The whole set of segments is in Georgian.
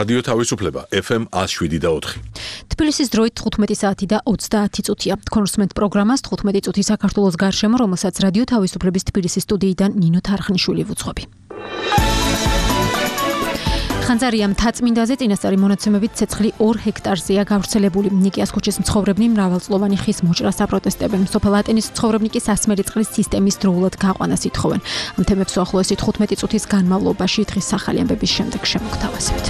რადიო თავისუფლება FM 107.4. თბილისის დროით 15 საათი და 30 წუთია. კონსუმენტ პროგრამას 15 წუთი საქართველოს გარშემო, რომელსაც რადიო თავისუფლების თბილისის სტუდიიდან ნინო თარხნიშვილი ვუძღვები. ხანძარია მთაწმინდაზე წინასწარი მონაცემებით ცეცხლი 2 ჰექტარზეა გავრცელებული. ნიკიას ქუჩის მცხოვრებნი მრავალწლოვანი ხის მოჭრას აპროტესტებენ. სოფელ ატენის მცხოვრებნი კი სასმელი წყლის სისტემის დროულად გაყვანას ითხოვენ. ამ თემებს უახლოესი 15 წუთის განმავლობაში დღის ახალი ამბების შემდეგ შემოგთავაზებთ.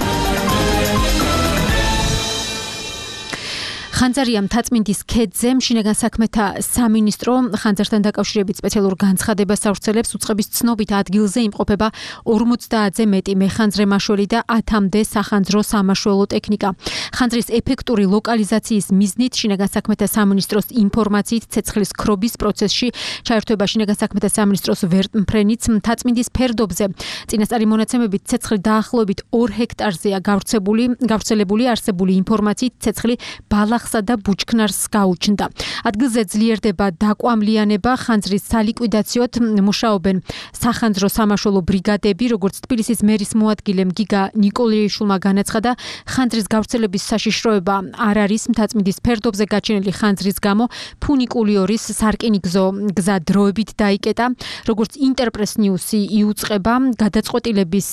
ხანძარია მთაწმინდის ქედზე შინაგან საქმეთა სამინისტრო ხანძართან დაკავშირებით სპეციალურ განცხადებას ავრცელებს. უწყების ცნობით ადგილზე იმყოფება 50-ზე მეტი მეხანძრე მაშველი და 10-მდე სახანძრო სამაშველო ტექნიკა. ხანძრის ეფექტური ლოკალიზაციის მიზნით შინაგან საქმეთა სამინისტროს ინფორმაციით ცეცხლის ქრობის პროცესში ჩაერთვება შინაგან საქმეთა სამინისტროს ვერტმფრენიც. მთაწმინდის ფერდობზე წინასწარი მონაცემებით ცეცხლი დაახლოებით 2 ჰექტარზეა გავრცელებული. არსებული ინფორმაციით ცეცხლი ბალახს და ბუჩქნარს გაუჩნდა. ადგილზე ძლიერდება დაკვამლიანება, ხანძრის სალიკვიდაციოდ მუშაობენ სახანძრო სამაშველო ბრიგადები, როგორც თბილისის მერის მოადგილემ გიგა ნიკოლეიშვილმა განაცხადა, ხანძრის გავრცელების საშიშროება არ არის. მთაწმინდის ფერდობზე გაჩენილი ხანძრის გამო ფუნიკულიორის სარკინიგზო გზა დროებით დაიკეტა. როგორც ინტერპრეს ნიუსი იუწყება, გადაწყვეტილების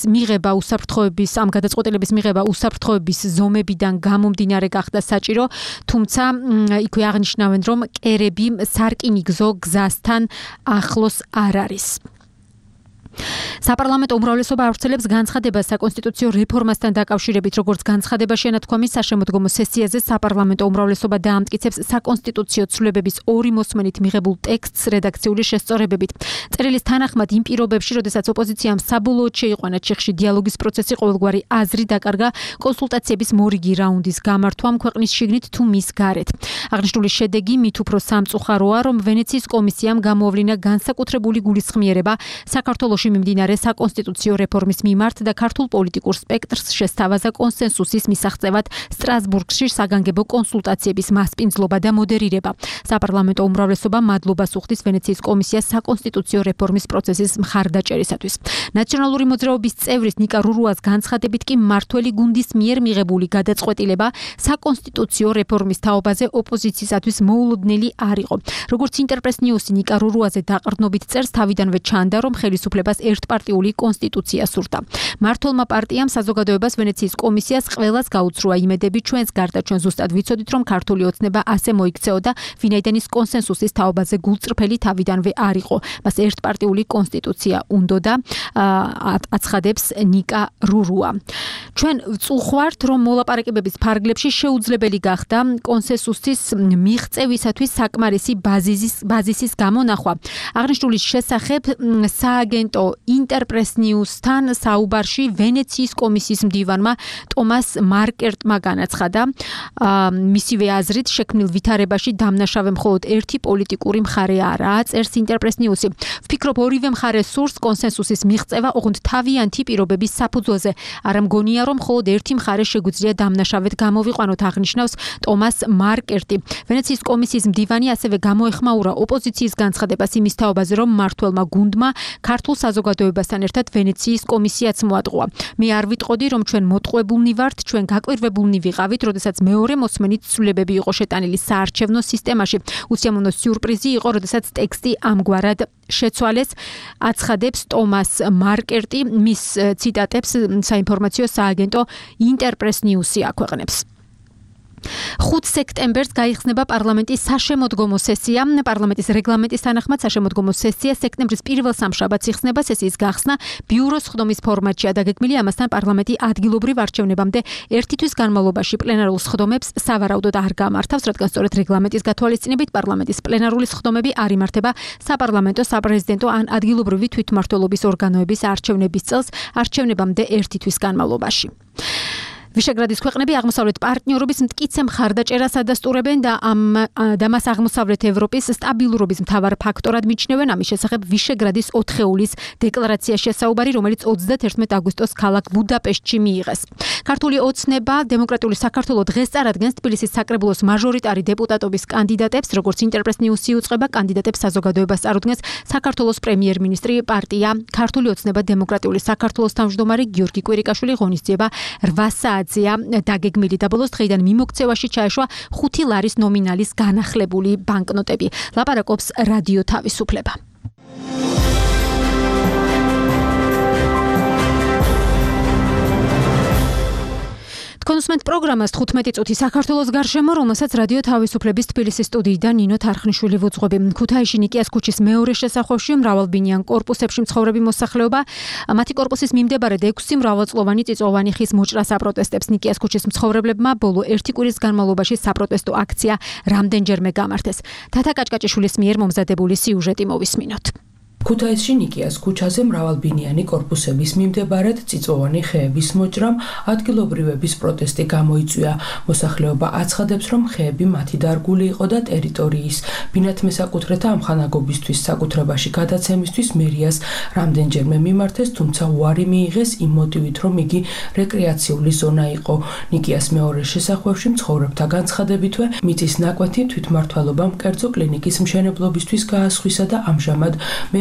მიღება უსაფრთხოების ზომებიდან გამომდინარე გახდა საჭირო. თუმცა იქვე აღნიშნავენ, რომ კერები სარკინიგზო გზასთან ახლოს არ არის. საპარლამენტო უმრავლესობა ავრცელებს განცხადებას საკონსტიტუციო რეფორმასთან დაკავშირებით. როგორც განცხადებაში ანათქვამის, საშემოდგომო სესიაზე საპარლამენტო უმრავლესობა დაამტკიცებს საკონსტიტუციო ცვლილებების 2 მოსმენით მიღებულ ტექსტს რედაქციული შესწორებებით. წერილის თანახმად იმ პირობებში, როდესაც ოპოზიციამ საბოლოოდ შეიყვანა ჩიხში დიალოგის პროცესი, ყოველგვარი აზრი დაკარგა კონსულტაციების მორიგი რაუნდის გამართვამ ქვეყნის შიგნით თუ მის გარეთ. აღნიშნული შედეგი მით უფრო სამწუხაროა, რომ ვენეციის კომისიამ გამოავლინა განსაკუთრებული გულისხმიერება საქართველოში მიმდინარე საკონსტიტუციო რეფორმის მიმართ და ქართულ პოლიტიკურ სპექტრს შესთავაზა კონსენსუსის მისაღწევად სტრასბურგში საგანგებო კონსულტაციების მასპინძლობა და მოდერირება. საპარლამენტო უმრავლესობა მადლობას უხდის ვენეციის კომისიას საკონსტიტუციო რეფორმის პროცესის მხარდაჭერისათვის. ნაციონალური მოძრაობის წევრის ნიკა რურუას განცხადებით კი მმართველი გუნდის მიერ მიღებული გადაწყვეტილება საკონსტიტუციო რეფორმის თაობაზე ოპოზიციისათვის მოულოდნელი არ იყო. როგორც ინტერპრეს ნიუსი ნიკა რურუაზე დაყრდნობით წერს, თავიდანვე ჩანდა, რომ ხელისუფლებას ერთპარტიული კონსტიტუცია სურდა. მმართველმა პარტიამ საზოგადოებას ვენეციის კომისიას ყველას გაუცრუა იმედები, ჩვენს გარდა ჩვენ ზუსტად ვიცოდით, რომ ქართული ოცნება ასე მოიქცეოდა, ვინაიდან ის კონსენსუსის თაობაზე გულწრფელი თავიდანვე არ იყო. მას ერთპარტიული კონსტიტუცია უნდოდა, აცხადებს ნიკა რურუა. ჩვენ ვწუხვართ, რომ მოლაპარაკებების ფარგლებში შეუძლებელი გახდა კონსენსუსის მიღწევისათვის საკმარისი ბაზისის გამონახვა. აღნიშნულის შესახებ სააგენტო ინტერპრეს ნიუსთან საუბარში ვენეციის კომისიის მდივანმა ტომას მარკერტმა განაცხადა, მისივე აზრით შექმნილ ვითარებაში დამნაშავე მხოლოდ ერთი პოლიტიკური მხარე არაა. წერს ინტერპრეს ნიუსი. ვფიქრობ, ორივე მხარე სურს კონსენსუსის მიღწევა, ოღონდ თავიანთი პირობების საფუძველზე. არა მგონია, რომ მხოლოდ ერთი მხარე შეგვიძლია დამნაშავედ გამოვიყვანოთ, აღნიშნავს ტომას მარკერტი. ვენეციის კომისიის მდივანი ასევე გამოეხმაურა ოპოზიციის განცხადებას იმის თაობაზე, რომ მმართველმა გუნდმა ქართულ საზოგადოებასთან ერთად ვენეციის კომისიაც მოატყუა. მე არ ვიტყოდი, რომ ჩვენ მოტყუებულნი ვართ, ჩვენ გაკვირვებულნი ვიყავით, როდესაც მეორე მოსმენით ცვლილებები იყო შეტანილი საარჩევნო სისტემაში. უსიამოვნო სიურპრიზი იყო, როდესაც ტექსტი ამგვარად შეცვალეს, აცხადებს ტომას მარკერტი. მის ციტატებს საინფორმაციო სააგენტო ინტერპრეს ნიუსი აქვეყნებს. 5 სექტემბერს გაიხსნება პარლამენტის საშემოდგომო სესია. პარლამენტის რეგლამენტის თანახმად საშემოდგომო სესია სექტემბრის პირველ სამშაბათს იხსნება. სესიის გახსნა ბიუროს ხდომის ფორმატშია დაგეგმილი. ამასთან პარლამენტი ადგილობრივ არჩევნებამდე ერთი თვის განმავლობაში პლენარულ სხდომებს სავარაუდოდ არ გამართავს, რადგან სწორედ რეგლამენტის გათვალისწინებით პარლამენტის პლენარული სხდომები არ იმართება საპარლამენტო, საპრეზიდენტო ან ადგილობრივი თვითმმართველობის ორგანოების არჩევნების წელს არჩევნებამდე ერთი თვის განმავლობაში. ვიშეგრადის ქვეყნები აღმოსავლეთ პარტნიორობის მტკიცე მხარდაჭერას ადასტურებენ და მას აღმოსავლეთ ევროპის სტაბილურობის მთავარ ფაქტორად მიჩნევენ. ამის შესახებ ვიშეგრადის 4-ეულის დეკლარაციაში საუბარი, რომელიც 31 აგვისტოს ქალაქ ბუდაპეშტში მიიღეს. ქართული ოცნება დემოკრატიული საქართველო დღეს წარადგენს თბილისის საკრებულოს მაჟორიტარი დეპუტატობის კანდიდატებს, როგორც ინტერპრეს ნიუსი უწყება, კანდიდატებს საზოგადოებას წარუდგენს საქართველოს პრემიერ-მინისტრი პარტია ქართული ოცნება დემოკრატიული საქართველოს თავმჯდომარე გიორგი კვირიკაშვილი ღონისძიება 8 კაცია დაგეგმილი და ბოლოს დღეიდან მიმოქცევაში ჩაეშვა 5 ლარის ნომინალის განახლებული ბანკნოტები. ლაპარაკობს რადიო თავისუფლება. კონსუმენტ პროგრამას 15 წუთი საქართველოს გარშემო, რომელსაც რადიო თავისუფლების თბილისის სტუდიიდან ნინო თარხნიშვილი ვუძღვები. ქუთაისში ნიკიას ქუჩის მეორე შესახვევში მრავალბინიან კორპუსებში მცხოვრები მოსახლეობა მათი კორპუსის მიმდებარედ 6 მრავალწლოვანი წიწვოვანი ხის მოჭრას აპროტესტებს. ნიკიას ქუჩის მცხოვრებლებმა ბოლო 1 კვირის განმავლობაში საპროტესტო აქცია რამდენჯერმე გამართეს. თათა კაჭკაჭიშვილის მიერ მომზადებული სიუჟეტი მოვისმინოთ. ქუთაისში ნიკიას ქუჩაზე მრავალბინიანი კორპუსების მიმდებარედ წიწვოვანი ხეების მოჭრამ ადგილობრივების პროტესტი გამოიწვია. მოსახლეობა აცხადებს, რომ ხეები მათი დარგული იყო და ტერიტორიის ბინათმესაკუთრეთა ამხანაგობისთვის საკუთრებაში გადაცემისთვის მერიას რამდენჯერმე მიმართეს, თუმცა უარი მიიღეს იმ მოტივით, რომ იგი რეკრეაციული ზონა იყო. ნიკიას მეორე შესახვევში მცხოვრებთა განცხადებითვე მიწის ნაკვეთი თვითმმართველობამ კერძო კლინიკის მშენებლობისთვის გაასხვისა და ამჟამად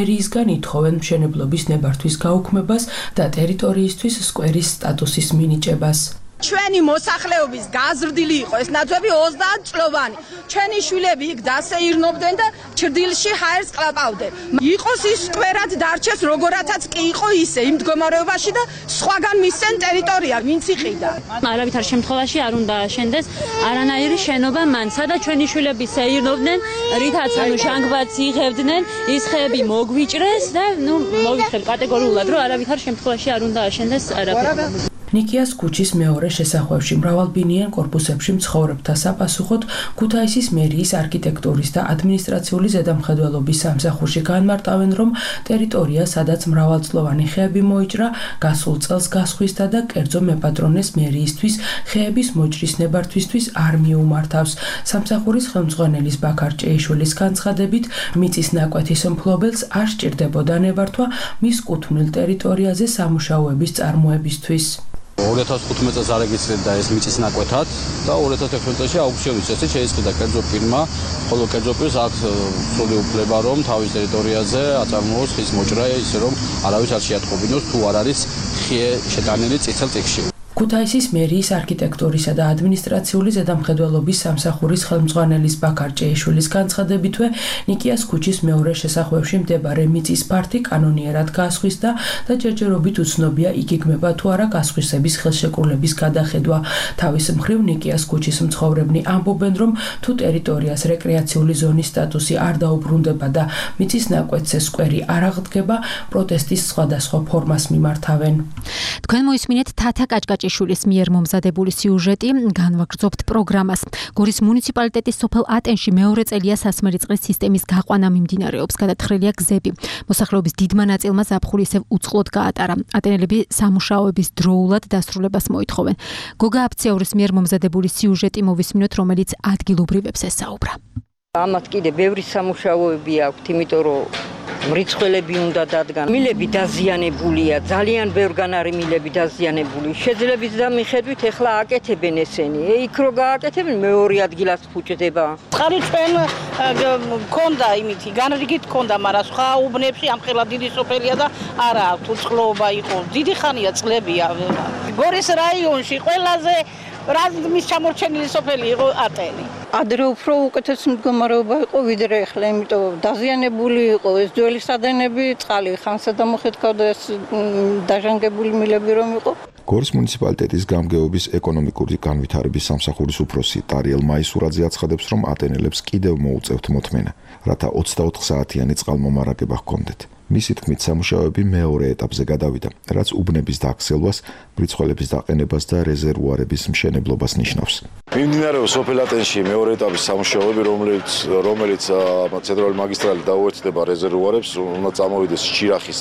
მერიისგან ითხოვენ მშენებლობის ნებართვის გაუქმებას და ტერიტორიისთვის სკვერის სტატუსის მინიჭებას. ჩვენი მოსახლეობის გაზრდილი იყო ეს ნაძვები 30 წლოვანი. ჩვენი შვილები იქ დასეირნობდნენ და ჭრდილში ჰაერს ყლაპავდნენ. იყოს ის სკვერად დარჩეს როგორათაც კი იყო ისე იმ მდგომარეობაში და სხვაგან მისცენ ტერიტორია ვინც იყიდა. არავითარ შემთხვევაში არ უნდა აშენდეს არანაირი შენობა მან, სადაც ჩვენი შვილები სეირნობდნენ, რითაც შანგბადს იღებდნენ, ის ხეები მოგვიჭრეს და მოვიხილ კატეგორიულად, რომ არავითარ შემთხვევაში არ უნდა აშენდეს არაფერი. ნიკიას ქუჩის მეორე შესახვევში მრავალბინიან კორპუსებში მცხოვრებთა sapasუხოდ ქუთაისის მერიის არქიტექტურის და ადმინისტრაციული ზედამხედველობის სამსახურში განმარტავენ, რომ ტერიტორია, სადაც მრავალწლოვანი ხეები მოიჭრა, გასულ წელს გასხვისდა და კერძო მეპატრონეს მერიისთვის ხეების მოჭრის ნებართვისთვის არ მიუმართავს. სამსახურის ხელმძღვანელის ბაქარ ჭეიშვილის განცხადებით, მიწის ნაკვეთის მფლობელს არ სჭირდებოდა ნებართვა მის კუთვნილ ტერიტორიაზე სამუშაოების წარმოებისთვის. 2015 წელს არეგისტრირდა ეს მიწის ნაკვეთად და 2016 წელს აუქციონის წესით შეისყიდა კერძო ფირმა, ხოლო კერძო პირს აქვს სრული უფლება, რომ თავის ტერიტორიაზე აწარმოოს ხის მოჭრა, ისე რომ არავის არ შეატყობინოს თუ არ არის ხე შეტანილი წითელ წიგნში. ქუთაისის მერიის არქიტექტურისა და ადმინისტრაციული ზედამხედველობის სამსახურის ხელმძღვანელის ბაქარ ჭეიშვილის განცხადებითვე, ნიკიას ქუჩის მეორე შესახვევში მდებარე მიწის ფართი კანონიერად გასხვისდა და ჯერჯერობით უცნობია იგეგმება თუ არა გასხვისების ხელშეკრულების გადახედვა. თავის მხრივ ნიკიას ქუჩის მცხოვრებნი ამბობენ, რომ თუ ტერიტორიას რეკრეაციული ზონის სტატუსი არ დაუბრუნდება და მიწის ნაკვეთზე სკვერი არ აღდგება, პროტესტის სხვადასხვა ფორმას მიმართავენ. თქვენ მოისმინეთ თათა კაჭკაჭიშვილის მიერ მომზადებული სიუჟეტი, განვაგრძობთ პროგრამას. გორის მუნიციპალიტეტის სოფელ ატენში მეორე წელია სასმელი წყლის სისტემის გაყვანა მიმდინარეობს, გადათხრილია გზები. მოსახლეობის დიდმა ნაწილმა ზაფხული ისევ უწყლოდ გაატარა. ატენელები სამუშაოების დროულად დასრულებას მოითხოვენ. გოგა აფციაურის მიერ მომზადებული სიუჟეტი მოვისმინოთ, რომელიც ადგილობრივებს ესაუბრა. ამათ კიდე ბევრი სამუშაოები აქვთ, იმიტომ რომ მრიცხველები უნდა დადგან. მილები დაზიანებულია, ძალიან ბევრგან არის მილები დაზიანებული. შეძლების და მიხედვით ეხლა აკეთებენ ესენი. იქ რო გააკეთებენ მეორე ადგილას ფუჭდება. წყალი ჩვენ მქონდა იმითი, განრიგით მქონდა, მაგრამ სხვა უბნებში ამხელა დიდი სოფელია და არა აქვს უწყლობა იყო. დიდი ხანია წლებია. გორის რაიონში ყველაზე რაზმის ჩამორჩენილი სოფელი იყო ატენი. ადრე უფრო უკეთეს მდგომარეობა იყო ვიდრე ახლა, იმიტომ დაზიანებული იყო ეს ძველი სადენები, წყალი ხანსა დამოხეთქავდა, ეს დაჟანგებული მილები რომ იყო. გორის მუნიციპალიტეტის გამგეობის ეკონომიკური განვითარების სამსახურის უფროსი ტარიელ მაისურაძე აცხადებს, რომ ატენელებს კიდევ მოუწევთ მოთმენა, რათა 24 საათიანი წყალმომარაგება ჰქონდეთ. მისი თქმით, სამუშაოები მეორე ეტაპზე გადავიდა, რაც უბნების დაქსელვას, მრიცხველების დაყენებას და რეზერვუარების მშენებლობას ნიშნავს. მიმდინარეობს სოფელ ატენში მეორე ეტაპის სამუშაოები, რომელიც ცენტრალური მაგისტრალი დაუერთდება რეზერვუარებს, უნდა წამოვიდეს ჭირახის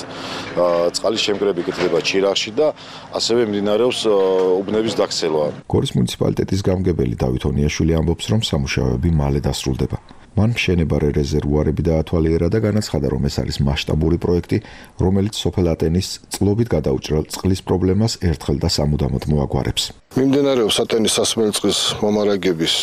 წყალის შემკრები კეთდება ჭირახში და ასევე მიმდინარეობს უბნების დაქსელვა. გორის მუნიციპალიტეტის გამგებელი დავით ონიაშვილი ამბობს, რომ სამუშაოები მალე დასრულდება. მან მშენებარე რეზერვუარები დაათვალიერა და განაცხადა, რომ ეს არის მასშტაბური პროექტი, რომელიც სოფელ ატენის წყლობით გადაუჭრელ წყლის პრობლემას ერთხელ და სამუდამოდ მოაგვარებს. მიმდინარეობს ატენის სასმელი წყლის მომარაგების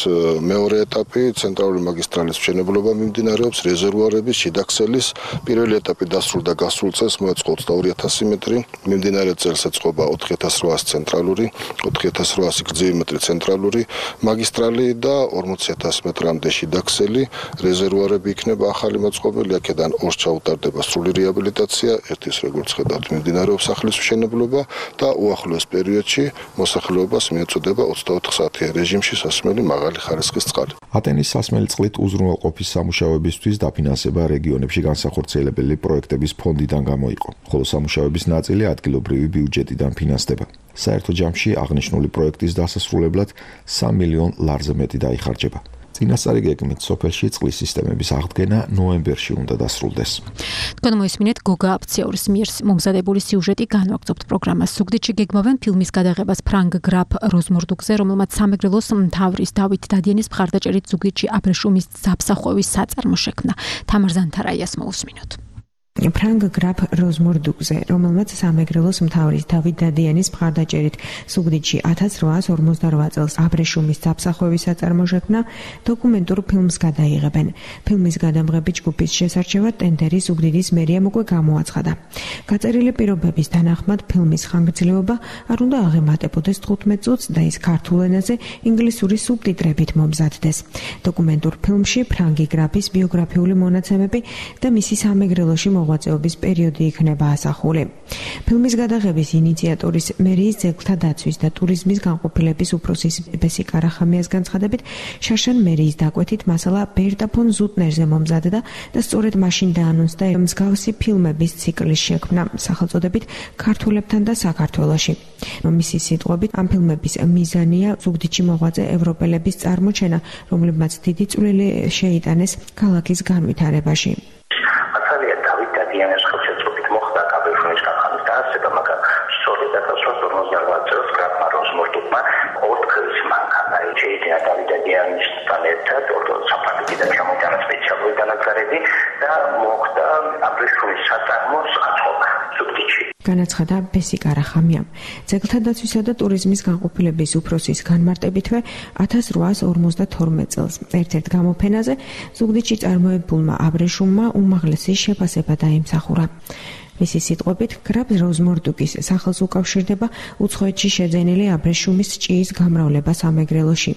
მეორე ეტაპი, ცენტრალური მაგისტრალის მშენებლობა მიმდინარეობს, რეზერვუარების, შიდაქსელის პირველი ეტაპი დასრულდა გასულ წელს, მოეწყო 22000 მეტრი, მიმდინარე წელს ეწყობა 4800 ცენტრალური, 4800 გრძივი მეტრი ცენტრალური მაგისტრალი და 40000 მეტრამდე შიდაქსელი, რეზერვუარები იქნება ახალი მოწყობილი, აქედან ორს ჩაუტარდება სრული რეაბილიტაცია, ერთის როგორც ხედავთ მიმდინარეობს სახლის მშენებლობა და უახლოეს პერიოდში მოსახლეობას მიეწოდება 24 საათიან რეჟიმში სასმელი მაღალი ხარისხის წყალი. ატენის სასმელი წყლით უზრუნველყოფის სამუშაოებისთვის დაფინანსება რეგიონებში განსახორციელებელი პროექტების ფონდიდან გამოიყო, ხოლო სამუშაოების ნაწილი ადგილობრივი ბიუჯეტიდან ფინანსდება. საერთო ჯამში აღნიშნული პროექტის დასასრულებლად 3 მილიონ ლარზე მეტი დაიხარჯება. წინასწარი გეგმით სოფელში წყლის სისტემების აღდგენა ნოემბერში უნდა დასრულდეს. თქვენ მოისმინეთ გოგა აფციორის მიერ მომზადებული სიუჟეტი განვაგრძობთ პროგრამას. ზუგდიდში გეგმავენ ფილმის გადაღებას ფრანგ გრაფ როზმორდუկზე, რომელმაც სამეგრელოს მთავრის დავით დადიანის მხარდაჭერით ზუგდიდში აბრეშუმის საფსახვევის საწარმო შექმნა. თამარ ზანთარაიას მოусმინოთ. ფრანგ გრაფ როზმორდუკზე, რომელმაც სამეგრელოს მთავრის დავით დადიანის მხარდაჭერით ზუგდიდში 1858 წელს აბრეშუმის საფსახვევის საწარმო შექმნა, დოკუმენტურ ფილმს გადაიღებენ. ფილმის გადამღებით ჯგუფის შესარჩევად ტენდერი ზუგდიდის მერიამ უკვე გამოაცხადა. გაწერილი პირობების თანახმად ფილმის ხანგრძლივობა არ უნდა აღემატებოდეს 15 წუთს და ის ქართულ ენაზე ინგლისური სუბტიტრებით მომზადდეს. დოკუმენტურ ფილმში ფრანგი გრაფის ბიოგრაფიული მონაცემები და მისი სამეგრელოში მოღვაწეობის პერიოდი იქნება ასახული. ფილმის გადაღების ინიციატორის მერიის ძეგლთა დაცვის და ტურიზმის განყოფილების უფროსის ბესი კარახამიას განცხადებით, შარშან მერიის დაკვეთით მასალა ბერტა ფონ ზუტნერზე მომზადდა და სწორედ მაშინ დაანონსდა მსგავსი ფილმების ციკლის შექმნა სახელწოდებით ქართველებთან და საქართველოში. მისი სიტყვებით, ამ ფილმების მიზანია ზუგდიდში მოღვაწე ევროპელების წარმოჩენა, რომლებმაც დიდი წვლილი შეიტანეს ქალაქის განვითარებაში. განაცხადა ბესი კარახამიამ. ძეგლთა დაცვისა და ტურიზმის განყოფილების უფროსის განმარტებითვე 1852 წელს ერთ-ერთ გამოფენაზე ზუგდიდში წარმოებულმა აბრეშუმმა უმაღლესი შეფასება დაიმსახურა. მისი სიტყვებით, გრაფ როზმორდუკის სახელს უკავშირდება უცხოეთში შეძენილი აბრეშუმის ჭიის გამრავლება სამეგრელოში.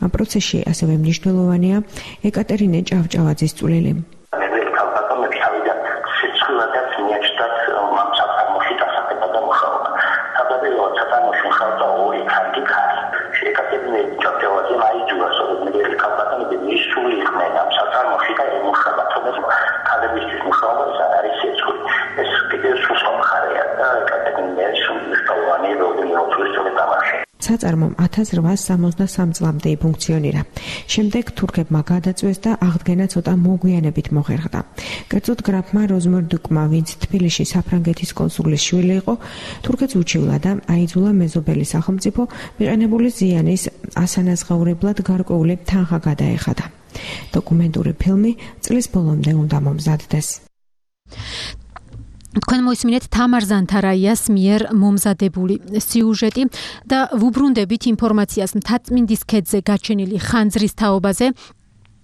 ამ პროცესში ასევე მნიშვნელოვანია ეკატერინე ჭავჭავაძის წვლილი. საწარმომ 1863 წლამდე იფუნქციონირა. შემდეგ თურქებმა გადაწვეს და აღდგენა ცოტა მოგვიანებით მოხერხდა. კერძოდ გრაფმა როზმორდუკმა, ვინც თბილისში საფრანგეთის კონსულის შვილი იყო, თურქეთს უჩივლა და აიძულა მეზობელი სახელმწიფო მიყენებული ზიანის ასანაზღაურებლად გარკვეული თანხა გადაეხადა. დოკუმენტური ფილმი წლის ბოლომდე უნდა მომზადდეს. თქვენ მოისმინეთ თამარ ზანთარაიას მიერ მომზადებული სიუჟეტი და ვუბრუნდებით ინფორმაციას მთაწმინდის ქედზე გაჩენილი ხანძრის თაობაზე.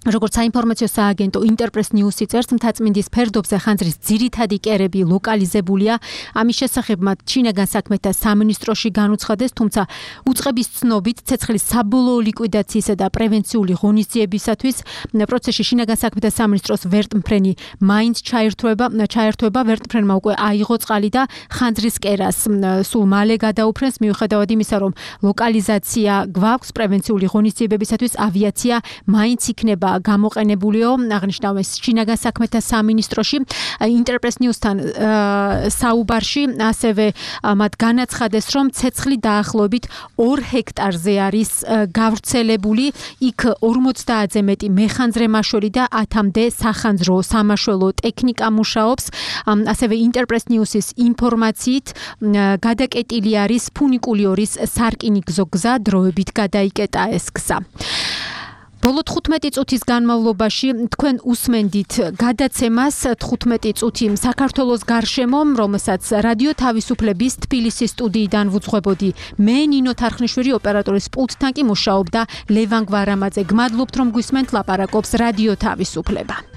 როგორც საინფორმაციო სააგენტო ინტერპრეს ნიუსი წერს, მთაწმინდის ფერდობზე ხანძრის ძირითადი კერები ლოკალიზებულია. ამის შესახებ მათ შინაგან საქმეთა სამინისტროში განუცხადეს, თუმცა უწყების ცნობით ცეცხლის საბოლოო ლიკვიდაციისა და პრევენციული ღონისძიებისათვის პროცესში შინაგან საქმეთა სამინისტროს ვერტმფრენი მაინც ჩაერთვება. ვერტმფრენმა უკვე აიღო წყალი და ხანძრის კერას სულ მალე გადაუფრენს, მიუხედავად იმისა, რომ ლოკალიზაცია გვაქვს პრევენციული ღონისძიებებისათვის ავიაცია მაინც იქნება გამოყენებულიო, აღნიშნავს შინაგან საქმეთა სამინისტროში. ინტერპრეს ნიუსთან საუბარში ასევე მათ განაცხადეს, რომ ცეცხლი დაახლოებით 2 ჰექტარზე არის გავრცელებული, იქ 50-ზე მეტი მეხანძრე მაშველი და 10-მდე სახანძრო სამაშველო ტექნიკა მუშაობს. ასევე ინტერპრეს ნიუსის ინფორმაციით გადაკეტილი არის ფუნიკულიორის სარკინიგზო გზა, დროებით გადაიკეტა ეს გზა. ბოლო 15 წუთის განმავლობაში თქვენ უსმენდით გადაცემას 15 წუთი საქართველოს გარშემო, რომელსაც რადიო თავისუფლების თბილისის სტუდიიდან ვუძღვებოდი. მე ნინო თარხნიშვილი ოპერატორის პულტთან კი მუშაობდა ლევან გვარამაძე. გმადლობთ რომ გვისმენთ ლაპარაკობს რადიო თავისუფლება.